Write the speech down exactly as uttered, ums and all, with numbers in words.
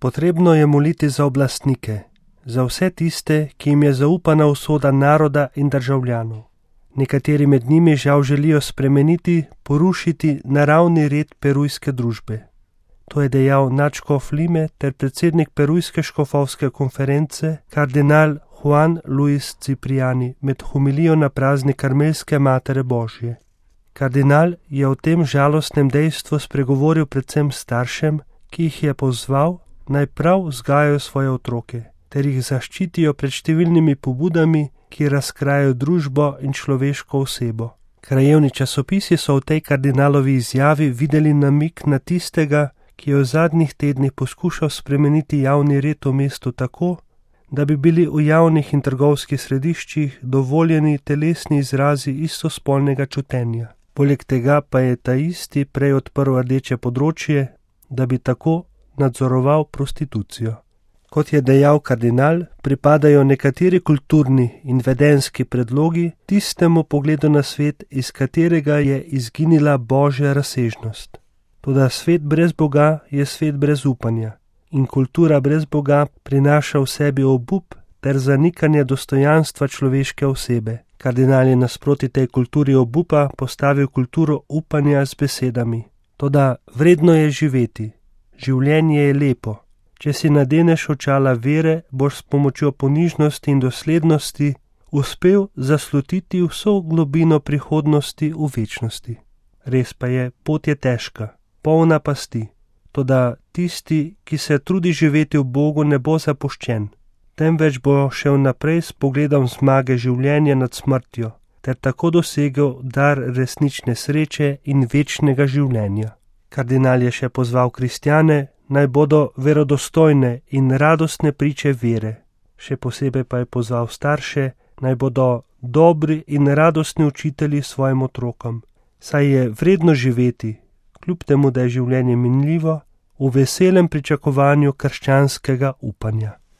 Potrebno je moliti za oblastnike, za vse tiste, ki jim je zaupana usoda naroda in državljanov. Nekateri med njimi žal želijo spremeniti, porušiti naravni red perujske družbe. To je dejal nadškof Lime ter predsednik perujske škofovske konference, kardinal Juan Luis Cipriani, med homilijo na praznik Karmelske Matere Božje. Kardinal je o tem žalostnem dejstvu spregovoril predvsem staršem, ki jih je pozval, naj prav vzgajajo svoje otroke, ter jih zaščitijo pred številnimi pobudami, ki razkrajajo družbo in človeško osebo. Krajevni časopisi so v tej kardinalovi izjavi videli namig na tistega, ki je v zadnjih tednih poskušal spremeniti javni red v mestu tako, da bi bili v javnih in trgovskih središčih dovoljeni telesni izrazi istospolnega čutenja. Poleg tega pa je ta isti prej odprl rdeče področje, da bi tako nadzoroval prostitucijo. Kot je dejal kardinal, pripadajo nekateri kulturni in vedenski predlogi tistemu pogledu na svet, iz katerega je izginila božja razsežnost. Toda svet brez Boga je svet brez upanja in kultura brez Boga prinaša v sebi obup ter zanikanje dostojanstva človeške osebe. Kardinal je nasproti tej kulturi obupa postavil kulturo upanja z besedami. Toda vredno je živeti, življenje je lepo. Če si nadeneš očala vere, boš s pomočjo ponižnosti in doslednosti uspel zaslutiti vso globino prihodnosti v večnosti. Res pa je, pot je težka, polna pasti, toda tisti, ki se trudi živeti v Bogu, ne bo zapuščen, temveč bo šel naprej s pogledom zmage življenja nad smrtjo, ter tako dosegel dar resnične sreče in večnega življenja. Kardinal je še pozval kristjane, naj bodo verodostojne in radostne priče vere. Še posebej pa je pozval starše, naj bodo dobri in radostni učitelji svojim otrokom, saj je vredno živeti, kljub temu, da je življenje minljivo, v veselem pričakovanju krščanskega upanja.